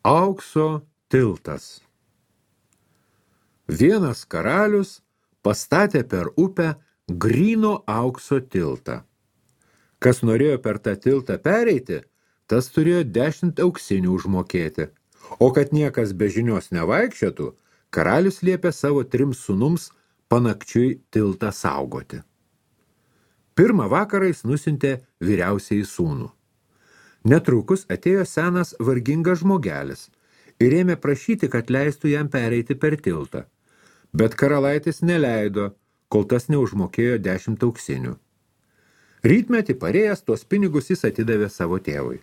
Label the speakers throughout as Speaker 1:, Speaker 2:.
Speaker 1: Aukso tiltas. Vienas karalius pastatė per upę gryno aukso tiltą. Kas norėjo per tą tiltą pereiti, tas turėjo 10 auksinių užmokėti. O kad niekas be žinios nevaikščiotų, karalius liepė savo 3 sūnums panakčiui tiltą saugoti. Pirmą vakarą jis nusiuntė vyriausiąjį sūnų. Netrukus atėjo senas vargingas žmogelis ir ėmė prašyti, kad leistų jam pereiti per tiltą. Bet karalaitis neleido, kol tas neužmokėjo 10 auksinių. Rytmetį parėjęs tuos pinigus jis atidavė savo tėvui.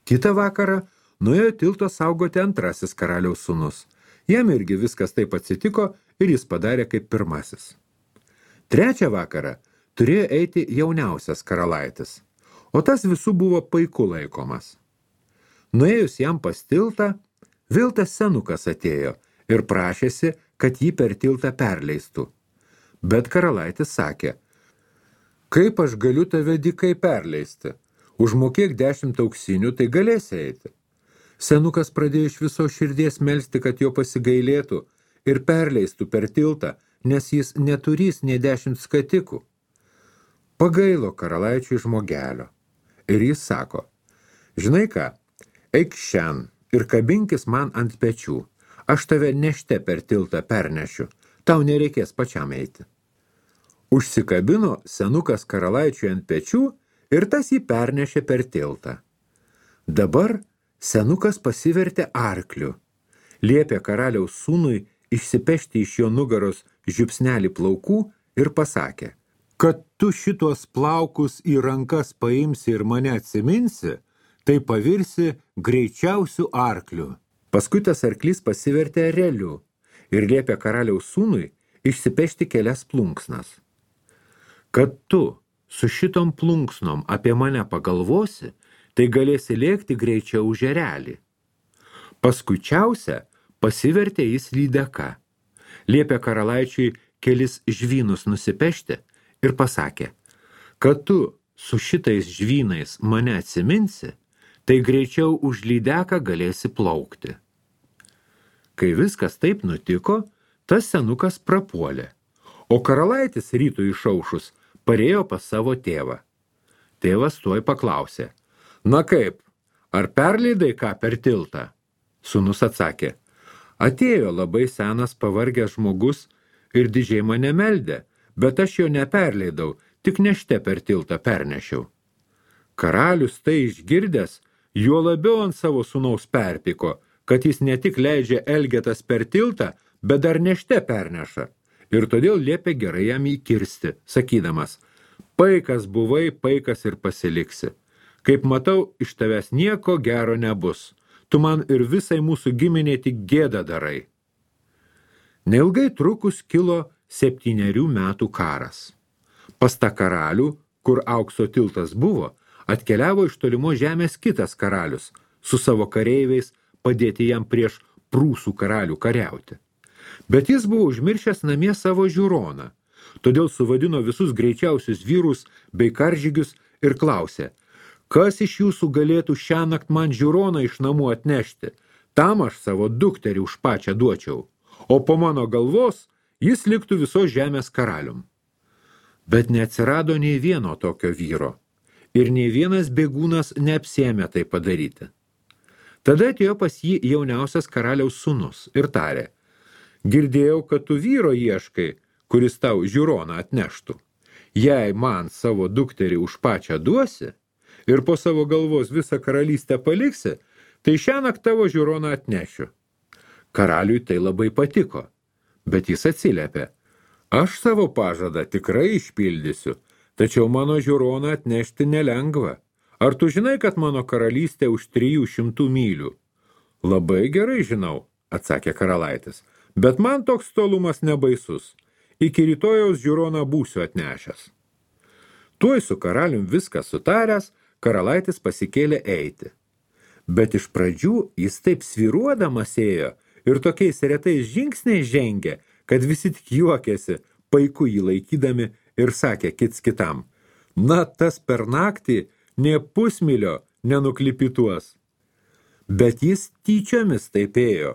Speaker 1: Kitą vakarą nuėjo tilto saugoti antrasis karaliaus sūnus. Jam irgi viskas taip atsitiko ir jis padarė kaip pirmasis. Trečią vakarą turėjo eiti jauniausias karalaitis, o tas visų buvo paiku laikomas. Nuėjus jam pas tiltą, vėl tas senukas atėjo ir prašėsi, kad jį per tiltą perleistų. Bet karalaitis sakė: kaip aš galiu tave dykai perleisti? Užmokėk 10 auksinių, tai galėsi eiti. Senukas pradėjo iš viso širdies melsti, kad jo pasigailėtų ir perleistų per tiltą, nes jis neturys nė 10 skatikų. Pagailo karalaičiui žmogelio. Ir jis sako: žinai ką, eik šen ir kabinkis man ant pečių. Aš tave nešte per tiltą pernešiu, tau nereikės pačiam eiti. Užsikabino senukas karalaičiui ant pečių ir tas jį pernešė per tiltą. Dabar senukas pasivertė arkliu. Liepė karaliaus sūnui išsipešti iš jo nugaros žiupsnelį plaukų ir pasakė: kad tu šitos plaukus į rankas paimsi ir mane atsiminsi, tai pavirsi greičiausių arklių. Paskui tas arklys pasivertė ereliu ir liepė karaliaus sūnui išsipešti kelias plunksnas. Kad tu su šitom plunksnom apie mane pagalvosi, tai galėsi lėkti greičiau už erelį. Paskučiausia pasivertė jis lydeka. Liepė karalaičiui kelis žvynus nusipešti ir pasakė: kad tu su šitais žvynais mane atsiminsi, tai greičiau už lydeką galėsi plaukti. Kai viskas taip nutiko, tas senukas prapuolė, o karalaitis rytui išaušus parėjo pas savo tėvą. Tėvas tuoj paklausė: na kaip, ar perleidai ką per tiltą? Sūnus atsakė: atėjo labai senas pavargęs žmogus ir didžiai mane meldė, bet aš jo neperleidau, tik nešte per tiltą pernešiau. Karalius tai išgirdęs, juo labiau ant savo sūnaus perpyko, kad jis ne tik leidžia elgetas per tiltą, bet dar nešte perneša. Ir todėl liepė gerai jam įkirsti, sakydamas: paikas buvai, paikas ir pasiliksi. Kaip matau, iš tavęs nieko gero nebus. Tu man ir visai mūsų giminiai tik gėdą darai. Neilgai trukus kilo 7 metų karas. Pas tą karalių, kur aukso tiltas buvo, atkeliavo iš tolimo žemės kitas karalius, su savo kareiviais padėti jam prieš prūsų karalių kariauti. Bet jis buvo užmiršęs namie savo žiūroną, todėl suvadino visus greičiausius vyrus bei karžygius ir klausė: kas iš jūsų galėtų šiąnakt man žiūroną iš namų atnešti, tam aš savo dukterį už pačią duočiau, o po mano galvos jis liktų visos žemės karalium. Bet neatsirado nei vieno tokio vyro, ir nei vienas bėgūnas neapsėmė tai padaryti. Tada atėjo pas jį jauniausias karaliaus sūnus ir tarė: girdėjau, kad tu vyro ieškai, kuris tau žiūroną atneštų. Jei man savo dukterį už pačią duosi ir po savo galvos visą karalystę paliksi, tai šiąnakt tavo žiūroną atnešiu. Karaliui tai labai patiko, bet jis atsiliepė: aš savo pažadą tikrai išpildysiu, tačiau mano žiūroną atnešti nelengva. Ar tu žinai, kad mano karalystė už 300 mylių? Labai gerai žinau, atsakė karalaitis, bet man toks tolumas nebaisus. Iki rytojaus žiūroną būsiu atnešęs. Tuoj su karalium viskas sutaręs, karalaitis pasikėlė eiti. Bet iš pradžių jis taip svyruodamas ėjo ir tokiais retais žingsniais žengė, kad visi tik juokėsi, paiku jį laikydami, ir sakė kits kitam: na, tas per naktį nė pusmilio nenuklipituos. Bet jis tyčiomis taip ėjo,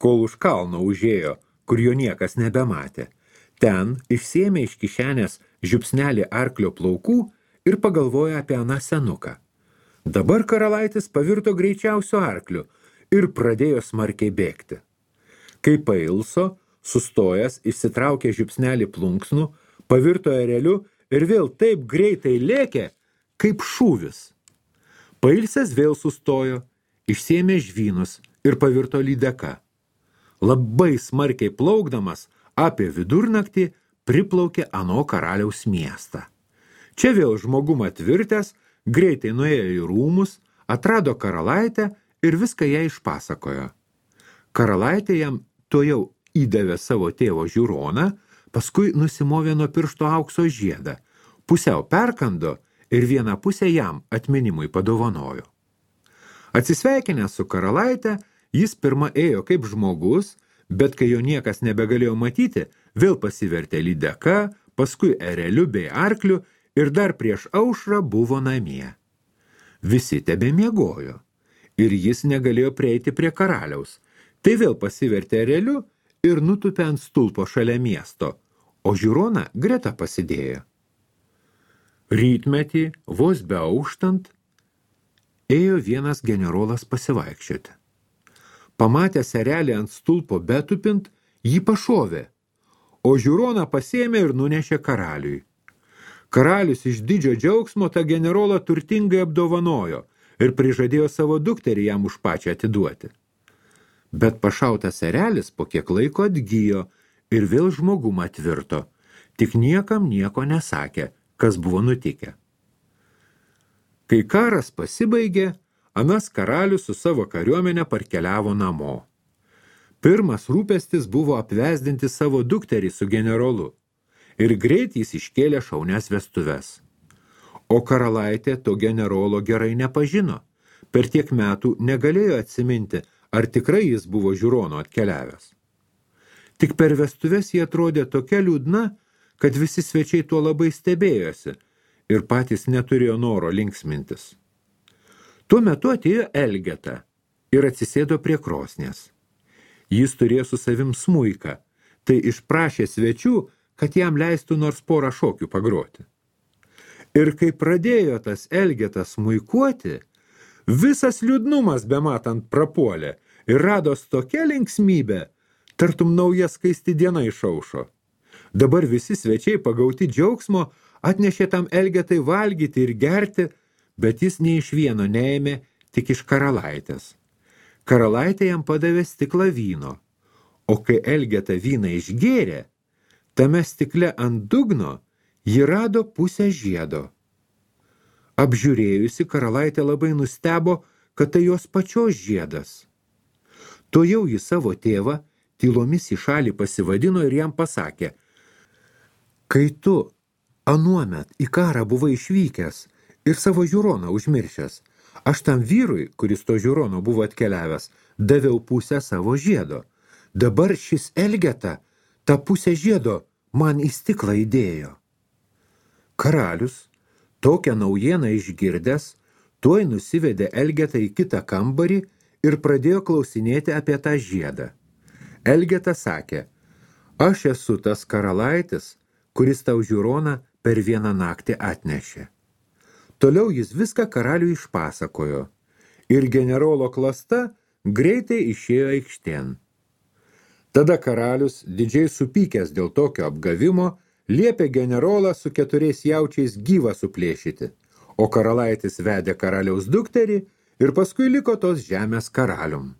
Speaker 1: kol už kalno užėjo, kur jo niekas nebematė. Ten išsėmė iš kišenės žiupsnelį arklio plaukų ir pagalvojo apie aną senuką. Dabar karalaitis pavirto greičiausiu arkliu ir pradėjo smarkiai bėgti. Kai pailso, sustojęs, išsitraukė žiupsnelį plunksnų, pavirto ereliu ir vėl taip greitai lėkė, kaip šūvis. Pailsęs vėl sustojo, išsėmė žvynus ir pavirto lydeka. Labai smarkiai plaukdamas apie vidurnaktį priplaukė ano karaliaus miestą. Čia vėl žmogum atvirtęs, greitai nuėjo į rūmus, atrado karalaitę ir viską ją išpasakojo. Karalaitė jam tuojau įdavė savo tėvo žiūroną, paskui nusimovė nuo piršto aukso žiedą, pusiau perkando ir vieną pusę jam atminimui padovanojo. Atsisveikinęs su karalaitė, jis pirma ėjo kaip žmogus, bet kai jo niekas nebegalėjo matyti, vėl pasivertė lydeka, paskui ereliu bei arkliu ir dar prieš aušrą buvo namie. Visi tebemiegojo ir jis negalėjo prieiti prie karaliaus, tai vėl pasivertė ereliu ir nutupė ant stulpo šalia miesto, o žiūroną greta pasidėjo. Rytmetį, vos beauštant, ėjo vienas generolas pasivaikščioti. Pamatęs erelį ant stulpo betupint, jį pašovė, o žiūroną pasėmė ir nunešė karaliui. Karalius iš didžio džiaugsmo tą generolą turtingai apdovanojo ir prižadėjo savo dukterį jam už pačią atiduoti. Bet pašautas erelis po kiek laiko atgijo ir vėl žmogum atvirto, tik niekam nieko nesakė, kas buvo nutikę. Kai karas pasibaigė, anas karalius su savo kariuomenė parkeliavo namo. Pirmas rūpestis buvo apvesdinti savo dukterį su generolu ir greit jis iškėlė šaunias vestuves. O karalaitė to generolo gerai nepažino, per tiek metų negalėjo atsiminti, ar tikrai jis buvo žiūrono atkeliavęs. Tik per vestuves jie atrodė tokia liūdna, kad visi svečiai tuo labai stebėjosi ir patys neturėjo noro linksmintis. Tuo metu atėjo Elgeta ir atsisėdo prie krosnės. Jis turėjo su savim smuiką, tai išprašė svečių, kad jam leistų nors porą šokių pagroti. Ir kai pradėjo tas Elgetas smuikuoti, visas liūdnumas bematant prapuolė ir rados tokia linksmybė, tartum nauja skaisti diena išaušo. Dabar visi svečiai pagauti džiaugsmo atnešė tam Elgetai valgyti ir gerti, bet jis nei iš vieno neėmė, tik iš karalaitės. Karalaitė jam padavė stiklą vyno, o kai Elgeta vyną išgėrė, tame stikle ant dugno ji rado pusę žiedo. Apžiūrėjusi, karalaitė labai nustebo, kad tai jos pačios žiedas. Tuojau ji savo tėvą tylomis į šalį pasivadino ir jam pasakė: kai tu anuomet į karą buvai išvykęs ir savo žiūroną užmiršęs, aš tam vyrui, kuris to žiūrono buvo atkeliavęs, daviau pusę savo žiedo. Dabar šis Elgeta tą pusę žiedo man į stiklą įdėjo. Karalius, tokią naujieną išgirdęs, tuoj nusivedė Elgetą į kitą kambarį ir pradėjo klausinėti apie tą žiedą. Elgeta sakė: aš esu tas karalaitis, kuris tau žiūroną per vieną naktį atnešė. Toliau jis viską karaliui išpasakojo ir generolo klasta greitai išėjo aikštėn. Tada karalius, didžiai supykęs dėl tokio apgavimo, liepė generolą su 4 jaučiais gyvą suplėšyti, o karalaitis vedė karaliaus dukterį ir paskui liko tos žemės karalium.